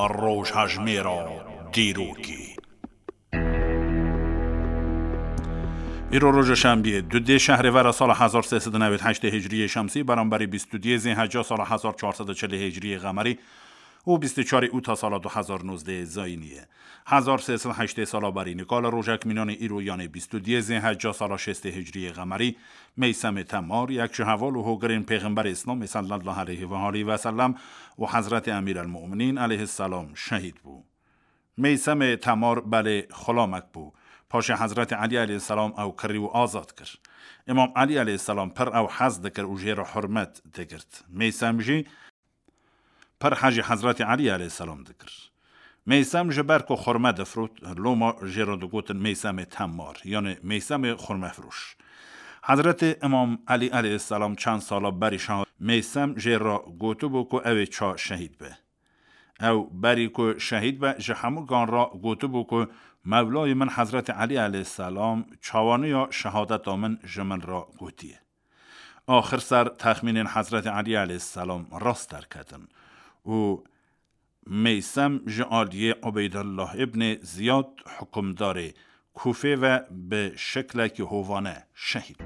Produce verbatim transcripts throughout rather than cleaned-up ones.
Rojhejmêra dîrokê. Îro roja şembiyê, dudê şehrê vera sala hezar sê sed û newêd heştê hicriyê şemsî, beramberî bîst û duyê zêheca sala hezar çar sed û çilê hicriyê qemerî û bîst û çarê ûta sala du hezar nozdeh zayînî ye. Hezar sê sed heştê sala berî nika li rojek mînanê îro, yanê bîst û duyê zêheca sala şêstê hicriyê qemerî, Meysemê Temar, yek ji heval û hogirên Pêxemberê Îslamê sallallahu aleyhi ve aleyhi ve sellem û Hezretê Emîr el-Mu'minîn aleyhisselam şehîd bû. Meysemê Temar belê xulamek bû. Paşê Hezretê Elî aleyhisselam ew kirî û azad kir. Îmam Elî aleyhisselam pir ew hez dikir û jê re hurmet digirt. Meysem jî pir hejî Hezretê Elî aleyhisselam dikir. Meysem ji ber ku xurme difrot, loma jê re digotin Meysemê Temar, yanê Meysemê xurmefiroş. Hezretê Îmam Elî aleyhisselam çend sala berî şeha Meysem jê re gotibû ku ew ê ça şehîd be. Ew berî ku şehîd be, ji hemû gan re gotibû ku Mewlayê min Hezretê Elî aleyhisselam çawaniya şehadeta min ji min re gotiye. Axir ser texmînên Hezretê Elî aleyhisselam rast derketin û Meysem ji aliyê Ubeydullah ibnê Ziyad, hukimdarê Kûfê ve, bi şeklekî hovane şehîd.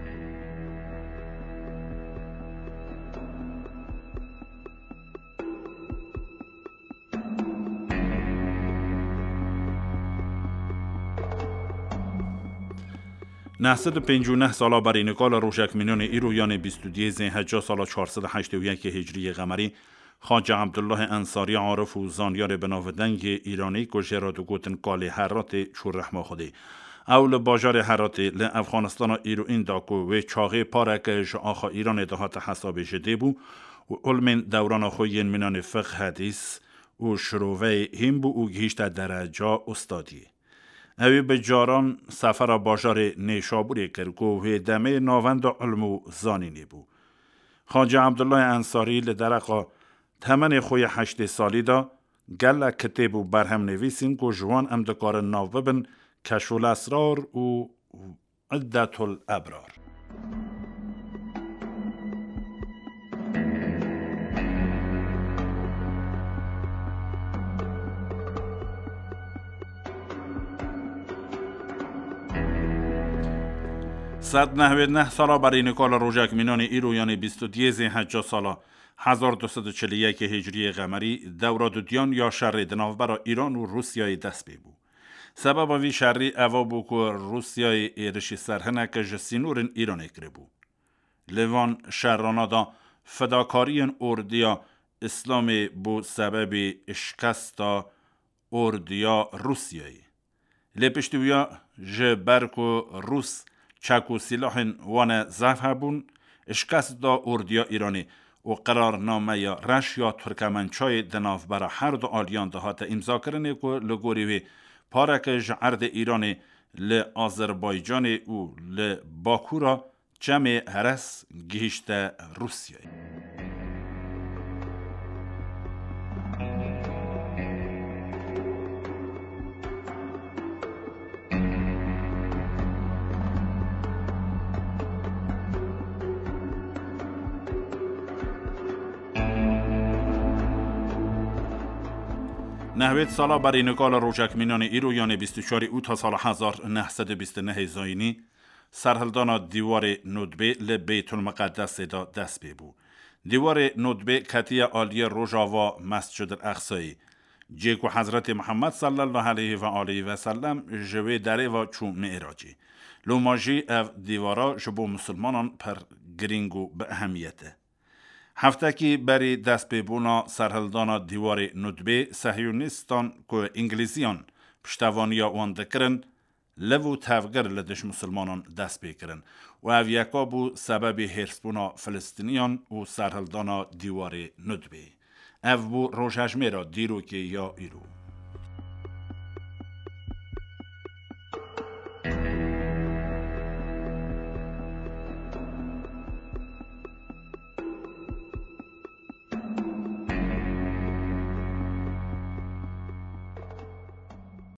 Neh sed û pêncî û neh sala berî nika li rojek mînanê îro, yanê bîst û duyê zêheca sala çar sed û heştê û yekê hicriyê qemerî, Xacê Ebdullahê Ensarî, arif û zanyarê binavdengê Îranî ku jê re digotin Kalê Heratê, çû rehma Xwedê. Ew li bajarê Heratê li Efxanistana îroîn de ku wê çaxê pareke ji axa Îranê dihate hesabê ji dê bû û ilmên dewrana xwe yên mînanê fiqh, hedîs û şiroveyê hîn bû û gihîşte dereca ustadiyê. Ew ê bi caran sefera bajarê Nêşabûrê kir ku wê demê navenda ilm û zanînê bû. Xacê Ebdullahê Ensarî li dereqa temenê xwe yê heştê salî de gelek kitêb û berhem nivîsîn ku ji wan em dikarin nav bibin Keşful Esrar û Iddetul Ebrar. Sed nehwêd neh sala berî nika li rojek mînanê îro, yanê bîst û duyê zêheca sala hezar du sed û çil û yekê hicriyê qemerî, dewra dudiyan ya şerê di navbera Îran û Rûsyayê dest pê bû. Sebeba vî şerî eva bû ku Rûsyayê êrişî ser hineke ji sînorên Îranê kiribû. Li van şerana de fedakariyên ordiya Îslamê bû sebebê şikesta ordiya Rûsyayê. Lê piştî wiya, ji ber ku Rûs çek û sîlahên wane zehf hebûn, şikest da ordiya Îranê û qerarnameya reş ya Turkemençayê di navbera her du aliyan de hate îmzakirinê ku li gorî wê pareke ji erdê Îranê li Azerbaycanê û li Bakûra Çemê Heres gihîşte Rûsyayê. Nehwêd sala berî nika li rojek mînanê îro, yanê bîst û çarê ûta sala hezar neh sed û bîst û nehê zayînî, serhildana dîwarê Nudbê li Beytulmiqedesê de dest pê bû. Dîwarê Nudbê ketiye aliyê rojava Mescid el Eqsayê, cihê ku Hezretê Muhammed sallallahu aleyhi ve aleyhi ve sellem ji wê derê ve çû Mi'racê. Loma jî ev dîwara ji bo misilmanan pir girîng û bi ehemiyet e. Heftekî berî destpêbûna serhildana dîwarê Nudbê, Sehyonîstan ku Îngilîziyan piştevaniya wan dikirin, liv û tevgir li dij misilmanan dest pê kirin û ev yeka bû sebebê hêrsbûna Filistîniyan û serhildana dîwarê Nudbê. Ev bû rojhejmêra dîrokê ya îro.